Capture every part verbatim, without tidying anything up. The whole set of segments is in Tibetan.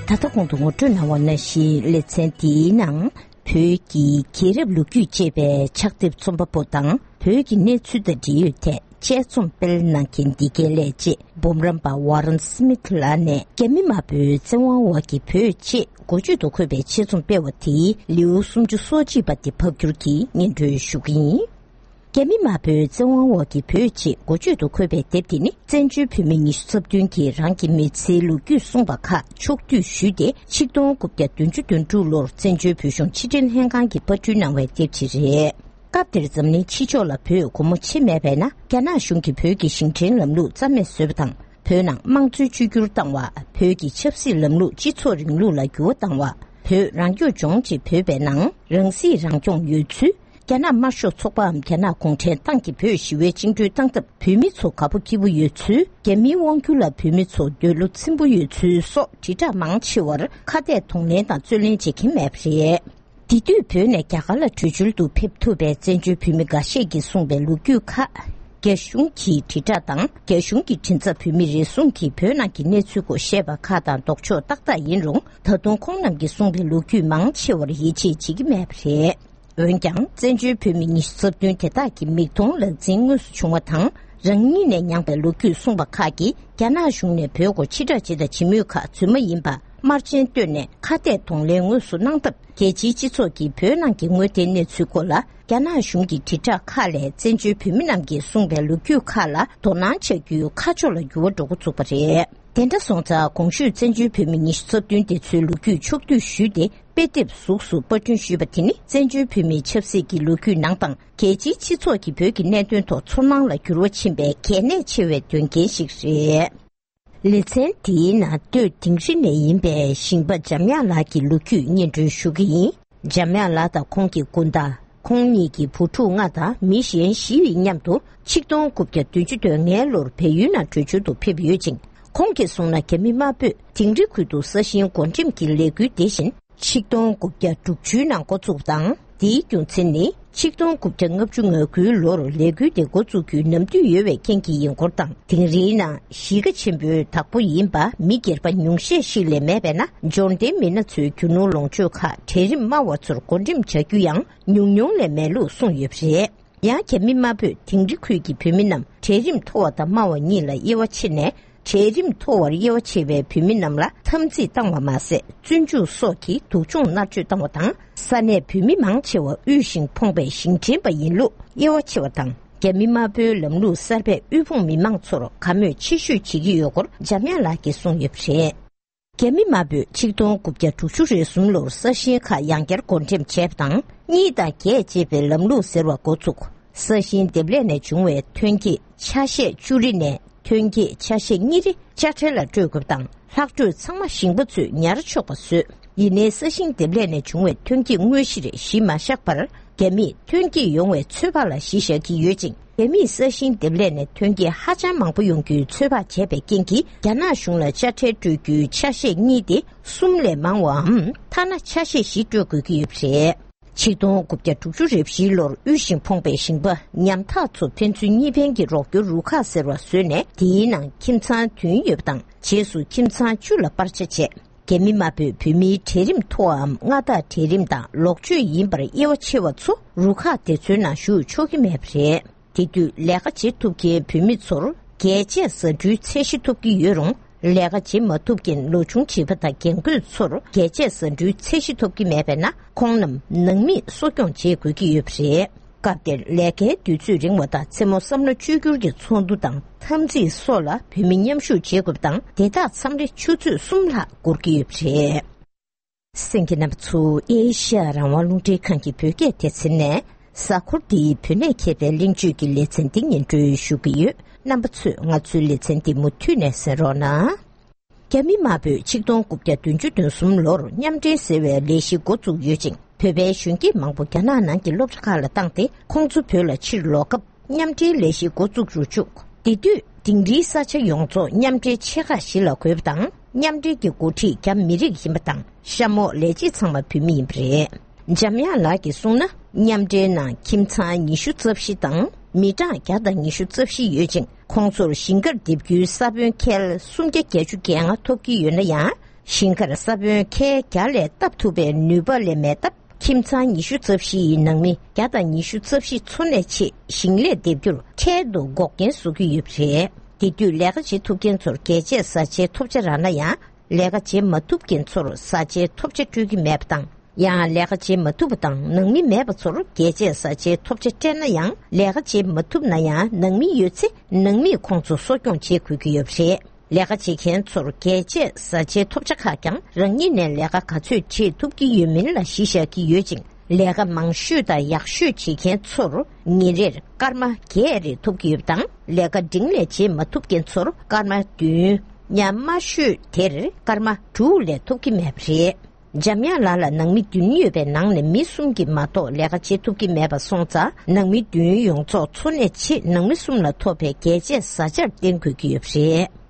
ད་ལྟ་གོང་དུ་ངོ་སྤྲོད་གནང་བ་ནང་བཞིན་ལེ་ཚན་འདིའི་ནང་། བོད་ཀྱི་རྒྱལ་རབས་ལོ་རྒྱུས་ཅེས་པའི་ཕྱག་དེབ་རྩོམ་པ་པོ་དང་བོད་ཀྱི་གནས་ཚུལ་དང་འབྲེལ་ཡོད་ཐད་དཔྱད་རྩོམ་སྤེལ་གནང་མཁན་འདི་གའི་ལས་བྱེད་འབུམ་རམས་པ་ཝ་རན་སི་མིད་ལགས་ནས། རྒྱ་མི་དམར་པོའི་བཙན་དབང་འོག་གི་བོད་ཅེས་འགོ་བརྗོད་དུ་འཁོད་པའི་ཆེད་རྩོམ་སྤེལ་བ་དེའི་ལེའུ་སུམ་ཅུ་སོ་གཅིག་པ་དེ་ཕབ་བསྒྱུར་གྱིས་སྙན་སྒྲོན་ཞུ་གི་ཡིན། རྒྱ་མི་དམར་པོའི་བཙན་དབང་འོག་གི་བོད་ཅེས་འགོ་བརྗོད་དུ་འཁོད་པའི་དེབ་དེ་ནི། བཙན་བྱོལ་བོད་མི་ཉི་ཤུ་རྩ་བདུན་གྱིས་རང་གི་མི་ཚེའི་ལོ་རྒྱུས་གསུངས་པ་ཁག་ཕྱོགས་བསྡུས་ཞུས་ཏེ། ཆིག་སྟོང་དགུ་བརྒྱ་བདུན་ཅུ་དོན་དྲུག་ལོར་བཙན་བྱོལ་བོད་གཞུང་ཕྱི་དྲིལ་ལྷན་ཁང་གིས་པར་སྐྲུན་གནང་བའི་དེབ་ཅིག་རེད། སྐབས་དེར་འཛམ་གླིང་ཕྱི་ཕྱོགས་ལ་བོད་སྒོ་མོ་ཕྱེ་མེད་པས་ན། རྒྱ་ནག་གཞུང་གིས་བོད་ཀྱི་ཞིང་བྲན་ལམ་ལུགས་རྩ་མེད་བཟོས་པ་དང་། བོད་ནང་དམངས་གཙོའི་བཅོས་བསྒྱུར་བཏང་བ། བོད་ཀྱི་ཆབ་སྲིད་ལམ་ལུགས་སྤྱི་ཚོགས་རིང་ལུགས་ལ་འགྱུར་བ་བཏང་བ། བོད་རང་སྐྱོང་ལྗོངས་ཅེས་བོད་པའི་ནང་རང་སྲིད་རང་སྐྱོང་ཡོད་ཚུལ། རྒྱ་ནག་དམར་ཤོག་ཚོགས་པའམ་རྒྱ་ནག་གུང་ཁྲན་ཏང་གིས་བོད་ཞི་བའི་བཅིངས་འགྲོལ་བཏང་སྟབས་བོད་མི་ཚོ་དགའ་པོ་སྐྱིད་པོ་ཡོད་ཚུལ། རྒྱ་མིའི་དབང་སྒྱུར་ལ་བོད་མི་ཚོ་འདོད་བློ་ཚིམ་པོ་ཡོད་ཚུལ་སོགས་དྲིལ་བསྒྲགས་མང་ཆེ་བར་ཁ་གཏད་གདོང་ལེན་དང་རྩོད་ལེན་བྱེད་མཁན་མེད་པ་རེད། དེ་དུས་བོད་ནས་རྒྱ་གར་ལ་བྲོས་བྱོལ་དུ་ཕེབས་ཐུབ་པའི་བཙན་བྱོལ་བོད་མི་འགའ་ཤས་ཀྱིས་གསུངས་པའི་ལོ་རྒྱུས་ཁག་རྒྱ་གཞུང་གི་དྲིལ་བསྒྲགས་དང་། རྒྱ་གཞུང་གི་མགྲིན་ཚབ་བོད་མི་རེ་ཟུང་གིས་བོད་ནང་གི་གནས་ཚུལ་སྐོར་བཤད་པ་ཁག་དང་ལྡོག་ཕྱོགས་ཏག་ཏག་ཡིན་རུང་། ད་དུང་ཁོང་རྣམས་ཀྱིས་གསུངས་པའི་ལོ་རྒྱུས་མང་ཆེ་བར་ཡིད་ཆེས་བྱེད་ཀྱི་མེད་པ་རེད། འོན་ཀྱང་། བཙན་བྱོལ་བོད་མི་ཉི་ཤུ་རྩ་བདུན་དེ་དག་གི་མིག་མཐོང་ལག་ཟིན་དངོས་སུ་བྱུང་བ་དང་། རང་ཉིད་ནས་མྱངས་པའི་ལོ་རྒྱུས་གསུངས་པ་ཁག་གིས། རྒྱ་ནག་གཞུང་ནས་བོད་སྐོར་ཕྱིར་བསྒྲགས་བྱེད་དང་བྱེད་མུས་ཁག་རྫུན་མ་ཡིན་པ། དམར་རྗེན་བཏོན་ནས་ཁ་གཏད་གདོང་ལེན་དངོས་སུ་གནང་སྟབས། རྒྱལ་སྤྱིའི་སྤྱི་ཚོགས་ཀྱིས་བོད་ནང་གི་དངོས་བདེན་གནས་ཚུལ་སྐོར་ལ། རྒྱ་ནག་གཞུང་གི་དྲིལ་བསྒྲགས་ཁག་ལས། བཙན་བྱོལ་བོད་མི་རྣམས་ཀྱིས་གསུངས་པའི་ལོ་རྒྱུས་ཁག་ལ་དོ་སྣང་བྱ་རྒྱུའི་ཁ་ཕྱོགས་ལ་འགྱུར་བ་འགྲོ་འགོ་བཙུགས་པ་རེད། དེ་འདྲ་སོང་ཙང་། གོང་ཞུས་བཙན་བྱོལ་བོད་མི་ཉི་ཤུ་རྩ་བདུན་དེ་ཚོའི་ལོ་རྒྱུས་ཕྱོགས་བསྡུས་ཞུས་ཏེ། དཔེ་དེབ་གཟུགས་སུ་པར་སྐྲུན་ཞུས་པ་དེ་ནི། བཙན་བྱོལ་བོད་མིའི་ཆབ་སྲིད་ཀྱི་ལོ་རྒྱུས་ནང་དང་། རྒྱལ་སྤྱིའི་སྤྱི་ཚོགས་ཀྱིས་བོད་ཀྱི་གནད་དོན་ཐོག་ཚོར་སྣང་ལ་འགྱུར་བ་ཕྱིན་པའི་གལ་གནད་ཆེ་བའི་དོན་རྐྱེན་ཞིག་རེད། ལེ་ཚན་འདིའི་ནང་སྟོད་དིང་རི་ནས་ཡིན་པའི་ཞིང་པ་འཇམ་དབྱངས་ལགས་ཀྱི་ལོ་རྒྱུས་སྙན་སྒྲོན་ཞུ་གི་ཡིན། འཇམ་དབྱངས་ལགས་དང་ཁོང་གི་སྐུ་ཟླ། ཁོང་གཉིས་ཀྱི་བུ་ཕྲུག་ལྔ་དང་མི་གཞན་བཞི་ཡི་མཉམ་དུ། ཆིག་སྟོང་དགུ་བརྒྱ་བདུན་ཅུ་དོན་ལྔའི་ལོར་བལ་ཡུལ་ནང་བྲོས་བྱོལ་དུ་ཕེབས་ཡོད་ཅིང་། ཁོང་གིས་གསུངས་ན། རྒྱ་མི་དམར་པོས་དིང་རི་ཁུལ་དུ་ས་ཞིང་བགོ་འགྲེམས་ཀྱི་ལས་འགུལ་དེ་བཞིན། ཆིག་སྟོང་དགུ་བརྒྱ་དྲུག་ཅུའི་ནང་འགོ་བཙུགས་དང་། དེའི་རྒྱུ་མཚན་ནི། ཆིག་སྟོང་དགུ་བརྒྱ་ལྔ་བཅུ་ང་དགུའི་ལོར་ལས་འགུལ་དེ་འགོ་བཙུགས་རྒྱུའི་ནམ་དུས་ཡོལ་བའི་རྐྱེན་གྱིས་ཡིན་སྐོར་དང་། དིང་རིའི་ནང་གཞིས་ཀ་ཆེན་པོའི་བདག་པོ་ཡིན་པ་མི་སྒེར་པ་ཉུང་ཤས་ཤིག་ལས་མེད་པས་ན། འབྱོར་ལྡན་མི་སྣ་ཚོའི་རྒྱུ་ནོར་ལོངས་སྤྱོད་ཁག་གྲལ་རིམ་དམའ་བ་ཚོར་བགོ་འགྲེམས་བྱ་རྒྱུ་ཡང་ཉུང་ཉུང་ལས་མེད་ལུགས་གསུངས་ཡོད་པ་རེད། ཡང་། རྒྱ་མི་དམར་པོས་དིང་རི་ཁུལ་གྱི་བོད་མི་རྣམས་གྲལ་རིམ་མཐོ་བ་དང་དམའ་བ་གཉིས་ལ་དབྱེ་བ་ཕྱེ་ནས། གྲལ་རིམ་མཐོ་བར་དབྱེ་བ་ཕྱེ་བའི་བོད་མི་རྣམས་ལ་འཐབ་འཛིང་བཏང་བ་མ་ཟད། བཙོན་འཇུག་སོགས་ཀྱི་སྡུག་སྦྱོང་མནར་གཅོད་བཏང་བ་དང་། ས་གནས་བོད་མི་མང་ཆེ་བ་དབུལ་ཞིང་ཕོངས་པའི་ཞིང་བྲན་པ་ཡིན་ལུགས་དབྱེ་བ་ཕྱེ་བ་དང་། རྒྱ་མི་དམར་པོའི་ལམ་ལུགས་གསར་པས་དབུལ་ཕོངས་མི་མང་ཚོར་དགའ་མོས་ཆེ་ཤོས་བྱེད་ཀྱི་ཡོད་སྐོར་འཇམ་དབྱངས་ལགས་ཀྱིས་གསུངས་ཡོད་པ་རེད། རྒྱ་མི་དམར་པོས་ཆིག་སྟོང་དགུ་བརྒྱ་དྲུག་ཅུ་རེ་གསུམ་ལོར་ས་ཞིང་ཁག་ཡང་བསྐྱར་བགོ་འགྲེམས་བྱས་པ་དང་། གཉིས་དང་བརྒྱད་ཅེས་པའི་ལམ་ལུགས་ཟེར་བ་འགོ་བཙུགས། ས་ཞིང་འདེབས་ལས་ནས་བྱུང་བའི་ཐོན་སྐྱེད་ཆ་ཤས་བཅུ་རེ་ནས་ཐོན་སྐྱེད་ཆ་ཤས་གཉིས་རེ་དཔྱ་ཁྲལ་ལ་སྤྲོད་དགོས་པ་དང་། ལྷག་འཕྲོས་ཚང་མ་ཞིང་པ་ཚོས་ཉར་ཆོག་པ་བཟོས། ཡིན་ནའི་ས་ཞིང་འདེབས་ལས་ནས་བྱུང་བའི་ཐོན་སྐྱེད་དངོས་གཞིར་གཞི་མ་བཞག་པར། རྒྱ་མིས་ཐོན་སྐྱེད་ཡོང་བའི་ཚོད་དཔག་ལ་གཞི་བཞག་གི་ཡོད་ཅིང་། རྒྱ་མིས་ས་ཞིང་འདེབས་ལས་ནས་ཐོན་སྐྱེད་ཧ་ཅང་མང་པོ་ཡོང་རྒྱུའི་ཚོད་དཔག་བྱས་པའི་རྐྱེན་གྱིས། རྒྱ་ནག་གཞུང་ལ་དཔྱ་ཁྲལ་སྤྲོད་རྒྱུའི་ཆ་ཤས་གཉིས་ཏེ་གསུམ་ལས་མང་བའམ། ཐ་ན་ཆ་ཤས་བཞི་སྤྲོད་དགོས་ཀྱི་ཡོད་པ་རེད། ཆིག་སྟོང་དགུ་བརྒྱ་དྲུག་ཅུ་རེ་བཞིའི་ལོར་དབུལ་ཞིང་ཕོངས་པའི་ཞིང་པ་ཉམ་ཐག་ཚོ་ཕན་ཚུན་གཉིས་ཕན་གྱི་རོགས་སྐྱོར་རུ་ཁག་ཟེར་བ་བཟོས་ནས། དེའི་ནང་ཁྱིམ་ཚང་བདུན་ཡོད་པ་དང་། རྗེས་སུ་ཁྱིམ་ཚང་བཅུ་ལ་སྤར་ཆ་བྱས། རྒྱ་མི་དམར་པོས་བོད་མིའི་གྲལ་རིམ་མཐོ་བའམ་མངའ་བདག་གྲལ་རིམ་དང་ལོག་སྤྱོད་ཡིན་པར་དབྱེ་བ་ཕྱེ་བ་ཚོ་རུ་ཁག་དེ་ཚོའི་ནང་ཞུགས་ཆོག་གི་མེད་པ་རེད། དེ་དུས་ལས་ཀ་བྱེད་ཐུབ་མཁན་བོད་མི་ཚོར་རྒྱས་བཅད་ཟ་འབྲུའི་ཚད་གཞི་ཐོབ་ཀྱི་ཡོད་རུང་། ལས་ཀ་བྱེད་མ་ཐུབ་མཁན་ལོ་ཆུང་བྱིས་པ་དང་རྒན་རྒོན་ཚོར་རྒྱས་བཅད་ཟ་འབྲུའི་ཚད་གཞི་ཐོབ་ཀྱི་མེད་པས་ན། ཁོང་རྣམས་ནང་མིས་གསོ་སྐྱོང་བྱེད་དགོས་ཀྱི་ཡོད་པ་རེད། སྐབས་དེར་ལས་ཀའི་དུས་ཚོད་རིང་བ་དང་། མཚན་མོ་བསམ་བློ་བཅོས་བསྒྱུར་གྱི་ཚོགས་འདུ་དང་འཐབ་འཛིང་སོགས་ལ་བོད་མི་མཉམ་ཞུགས་བྱེད་དགོས་པ་དང་། དེ་དག་མཚམས་རེ་ཆུ་ཚོད་གསུམ་ལྷག་འགོར་གྱི་ཡོད་པ་རེད། གསན་མཁན་རྣམ་པ་ཚོ། ཨེ་ཤ་ཡ་རང་དབང་རླུང་འཕྲིན་ཁང་གི་བོད་སྐད་སྡེ་ཚན་ནས། གཟའ་འཁོར་འདིའི་བོད་གནས་མཁས་པའི་གླེང་བརྗོད་ཀྱི་ལེ་ཚན་འདི་སྙན་སྒྲོན་ཞུ་གི་ཡོད། རྣམ་པ་ཚོས་ང་ཚོའི་ལེ་ཚན་འདི་མུ་མཐུད་ནས་གསན་རོགས་གནང་། རྒྱ་མི་དམར་པོས་ཆིག་སྟོང་དགུ་བརྒྱ་བདུན་ཅུ་དོན་གསུམ་ལོར་མཉམ་འབྲེལ་ཟེར་བའི་ལས་གཞི་འགོ་བཙུགས་ཡོད་ཅིང་། བོད་པའི་གཞོན་སྐྱེས་མང་པོ་རྒྱ་ནག་ནང་གི་སློབ་གྲྭ་ཁག་ལ་བཏང་སྟེ། ཁོང་ཚོ་བོད་ལ་ཕྱིར་ལོག་སྐབས། མཉམ་འབྲེལ་ལས་གཞི་འགོ་བཙུགས་རུ་བཅུག། དེ་དུས་དིང་རིའི་ས་ཆ་ཡོངས་རྫོགས་མཉམ་འབྲེལ་ཆེ་ཁག་བཞི་ལ་བགོས་པ་དང་། མཉམ་འབྲེལ་གྱི་འགོ་ཁྲིད་རྒྱ་མི་རིགས་ཡིན་པ་དང་། གཤམ་འོག་ལས་བྱེད་ཚང་མ་བོད་མི་ཡིན་པ་རེད། འཇམ་དབྱངས་ལགས་ཀྱིས་གསུངས་ན། མཉམ་འབྲེལ་ནང་ཁྱིམ་ཚང་ཉི་ཤུ་རྩ་བཞི་དང་། མི་གྲངས་བརྒྱ་དང་ཉི་ཤུ་རྩ་བཞི་ཡོད་ཅིང་། ཁོང་ཚོར་ཞིང་ཁར་འདེབས་རྒྱུའི་ས་བོན་ཁལ་སུམ་བརྒྱ་བརྒྱད་ཅུ་གྱ་ལྔ་ཐོབ་ཀྱི་ཡོད་ན་ཡང་། ཞིང་ཁར་ས་བོན་ཁལ་བརྒྱ་ལས་བཏབ་ཐུབ་པའི་ནུས་པ་ལས་མེད་སྟབས། ཁྱིམ་ཚང་ཉི་ཤུ་རྩ་བཞི་ཡི་ནང་མི་བརྒྱ་དང་ཉི་ཤུ་རྩ་བཞི་འཚོ་གནས་ཆེད་ཞིང་ལས་འདེབས་རྒྱུར་འཕྲལ་དུ་འགོག་རྐྱེན་བཟོ་གི་ཡོད་པ་རེད། དེ་དུས་ལས་ཀ་བྱེད་ཐུབ་མཁན་ཚོར་རྒྱལ་གཅེས་བཟའ་བཅའི་ཐོབ་ཆ་རག་ན་ཡང་། ལས་ཀ་བྱེད་མ་ཐུབ་མཁན་ཚོར་བཟའ་བཅའི་ཐོབ་ཆ་སྤྲོད་ཀྱི་མེད་པ་དང་། ཡང་ལས་ཀ་བྱེད་མ་ཐུབ་པ་དང་ནང་མི་མེད་པ་ཚོར་རྒྱལ་གཅེས་བཟའ་བཅའི་ཐོབ་ཆ་སྤྲད་ན་ཡང་། ལས་ཀ་བྱེད་མ་ཐུབ་ན་ཡང་ནང་མི་ཡོད་ཚེ་ནང་མིས་ཁོང་ཚོ་གསོ་སྐྱོང་བྱེད་དགོས་ཀྱི་ཡོད་པ་རེད། ལས་ཀ་བྱེད་མཁན་ཚོར་རྒྱལ་གཅེས་བཟའ་བཅའི་ཐོབ་ཆ་ཁག་ཀྱང་རང་ཉིད་ནས་ལས་ཀ་ག་ཚོད་བྱེད་ཐུབ་ཀྱི་ཡོད་མིན་ལ་གཞི་བཞག་གི་ཡོད་ཅིང་། ལས་ཀ་མང་ཤོས་དང་ཡག་ཤོས་བྱེད་མཁན་ཚོར་ཉིན་རེར་སྐར་མ་བརྒྱད་རེ་ཐོབ་ཀྱི་ཡོད་པ་དང་། ལས་ཀ་འབྲིང་ལས་བྱེད་མ་ཐུབ་མཁན་ཚོར་སྐར་མ་བདུན། ཡང་དམའ་ཤོས་དེར་སྐར་མ་དྲུག་ལས་ཐོབ་ཀྱི་མེད་པ་རེད། འཇམ་དབྱངས་ལགས་ལ་ནང་མི་བདུན་ཡོད་པའི་ནང་ནས་མི་གསུམ་གྱིས་མ་གཏོགས་ལས་ཀ་བྱེད་ཐུབ་ཀྱི་མེད་པ་སོང་ཙང་། ནང་མི་བདུན་ཡོངས་རྫོགས་འཚོ་གནས་ཆེད་ནང་མི་གསུམ་ལ་ཐོབ་པའི་རྒྱལ་གཅེས་བཟའ་བཅར་བརྟེན་དགོས་ཀྱི་ཡོད་པ་རེད།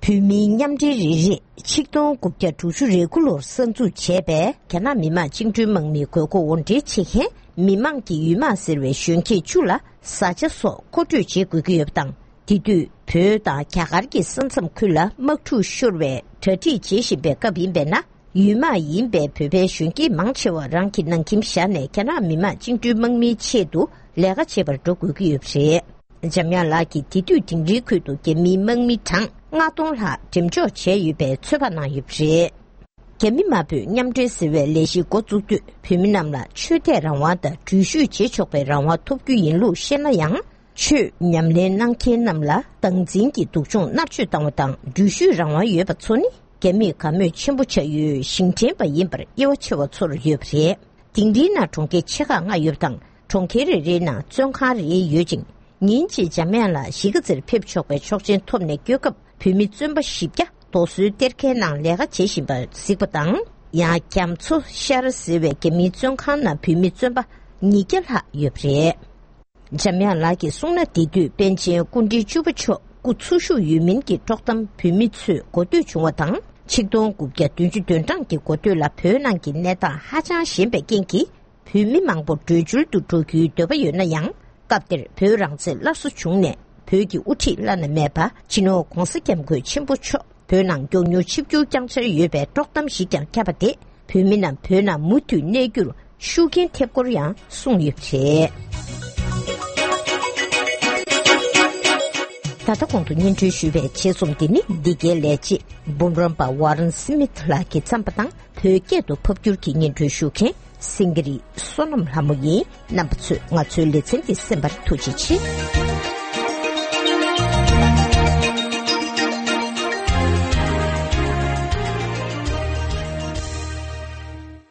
བོད་མིའི་མཉམ་འབྲེལ་རེ་རེས་ཆིག་སྟོང་དགུ་བརྒྱ་དྲུག་ཅུ་རེ་དགུ་ལོར་གསར་འཛུགས་བྱས་པའི་རྒྱ་ནག་མི་དམངས་བཅིངས་འགྲོལ་དམག་མིའི་དགོས་མཁོ་དབོར་འདྲེན་བྱེད་མཁན་མི་དམངས་ཀྱི་ཡུལ་དམག་ཟེར་བའི་གཞོན་སྐྱེས་བཅུ་ལ་བཟའ་བཅའ་སོགས་མཁོ་སྤྲོད་བྱེད་དགོས་ཀྱི་ཡོད་པ་དང་། དེ་དུས་བོད་དང་རྒྱ་གར་གྱི་ས་མཚམས་ཁུལ་ལ་དམག་འཁྲུག་ཤོར་བའི་གྲ་སྒྲིག་བྱེད་བཞིན་པའི་སྐབས་ཡིན་པས་ན། ཡུལ་དམག་ཡིན་པའི་བོད་པའི་གཞོན་སྐྱེས་མང་ཆེ་བ་རང་གི་ནང་ཁྱིམ་བཞག་ནས་རྒྱ་ནག་མི་དམངས་བཅིངས་འགྲོལ་དམག་མིའི་ཆེད་དུ་ལས་ཀ་བྱེད་པར་འགྲོ་དགོས་ཀྱི་ཡོད་པ་རེད། འཇམ་དབྱངས་ལགས་ཀྱིས་དེ་དུས་དིང་རིའི་ཁུལ་དུ་རྒྱ་མིའི་དམག་མི་གྲངས་ལྔ་སྟོང་ལྷག་འགྲེམས་འཇོག་བྱས་ཡོད་པའི་ཚོད་དཔག་གནང་ཡོད་པ་རེད། རྒྱ་མི་དམར་པོས་མཉམ་འབྲེལ་ཟེར་བའི་ལས་གཞི་འགོ་བཙུགས་དུས། བོད་མི་རྣམས་ལ་ཆོས་དད་རང་དབང་དང་འགྲུལ་བཞུད་བྱེད་ཆོག་པའི་རང་དབང་ཐོབ་རྒྱུ་ཡིན་ལུགས་བཤད་ན་ཡང་། ཆོས་ཉམས་ལེན་གནང་མཁན་རྣམས་ལ་སྟངས་འཛིན་གྱིས་སྡུག་སྦྱོང་མནར་གཅོད་བཏང་བ་དང་། འགྲུལ་བཞུད་རང་དབང་ཡོད་པ་ཚོ་ནི་རྒྱ་མིས་དགའ་མོས་ཆེན་པོ་བྱ་ཡུལ་ཞིང་བྲན་པ་ཡིན་པར་དབྱེ་བ་ཕྱེ་བ་ཚོར་ཡོད་པ་རེད། དིང་རིའི་ནང་གྲོང་ཁྱེར་ཆེ་ཁག་ལྔ་ཡོད་པ་དང་། གྲོང་ཁྱེར་རེ་རེའི་ནང་བཙོན་ཁང་རེ་ཡོད་ཅིང་། ཉིན་གཅིག་འཇམ་དབྱངས་ལགས་གཞིས་ཀ་རྩེར་ཕེབས་ཆོག་པའི་ཆོག་མཆན་ཐོབ་ནས་སྐྱོད་སྐབས། བོད་མི་བཙོན་པ་བཞི་བརྒྱ་རྡོ་སོལ་གཏེར་ཁའི་ནང་ལས་ཀ་བྱེད་བཞིན་པ་གཟིགས་པ་དང་། ཡང་རྒྱ་མཚོ་ཤར་ཟེར་བའི་རྒྱ་མིའི་བཙོན་ཁང་ནང་བོད་མི་བཙོན་པ་ཉིས་བརྒྱ་ལྷག་ཡོད་པ་རེད། འཇམ་དབྱངས་ལགས་ཀྱིས་གསུངས་ན། དེ་དུས་པཎ་ཆེན་སྐུ་ཕྲེང་བཅུ་པ་མཆོག་སྐུ་འཚོ་བཞུགས་ཡོད་མིན་གྱི་དཀྲོག་གཏམ་བོད་མི་ཚོས་གོ་ཐོས་བྱུང་བ་དང་། ཆིག་སྟོང་དགུ་བརྒྱ་བདུན་ཅུ་དོན་གྲངས་ཀྱི་འགོ་སྟོད་ལ་བོད་ནང་གི་གནས་སྟངས་ཧ་ཅང་ཞན་པའི་རྐྱེན་གྱིས། བོད་མི་མང་པོ་བྲོས་བྱོལ་དུ་འགྲོ་རྒྱུའི་འདོད་པ་ཡོད་ན་ཡང་། སྐབས་དེར་བོད་རང་བཙན་སླར་གསོ་བྱུང་ནས། བོད་ཀྱི་དབུ་ཁྲིད་བླ་ན་མེད་པ་སྤྱི་ནོར་༧གོང་ས་༧སྐྱབས་མགོན་ཆེན་པོ་མཆོག་བོད་ནང་མགྱོགས་མྱུར་ཆིབས་བསྒྱུར་བསྐྱང་འཆར་ཡོད་པའི་དཀྲོག་གཏམ་ཞིག་ཀྱང་ཁྱབ་པ་དེས། བོད་མི་རྣམས་བོད་ནང་མུ་མཐུད་གནས་རྒྱུར་ཤུགས་རྐྱེན་ཐེབས་སྐོར་ཡང་གསུངས་ཡོད་པ་རེད། ད་ལྟ་གོང་དུ་སྙན་སྒྲོན་ཞུས་པའི་ཆེད་རྩོམ་འདི་ནི་འདི་གའི་ལས་བྱེད་འབུམ་རམས་པ་ཝ་རན་སི་མིད་ལགས་ཀྱིས་བརྩམས་པ་དང་། བོད་སྐད་དུ་ཕབ་བསྒྱུར་གྱིས་སྙན་སྒྲོན་ཞུ་མཁན་སེང་གེ་རི་བསོད་ནམས་ལྷ་མོ་ཡིན། རྣམ་པ་ཚོས་ང་ཚོའི་ལེ་ཚན་འདི་གསན་པར་ཐུགས་རྗེ་ཆེ།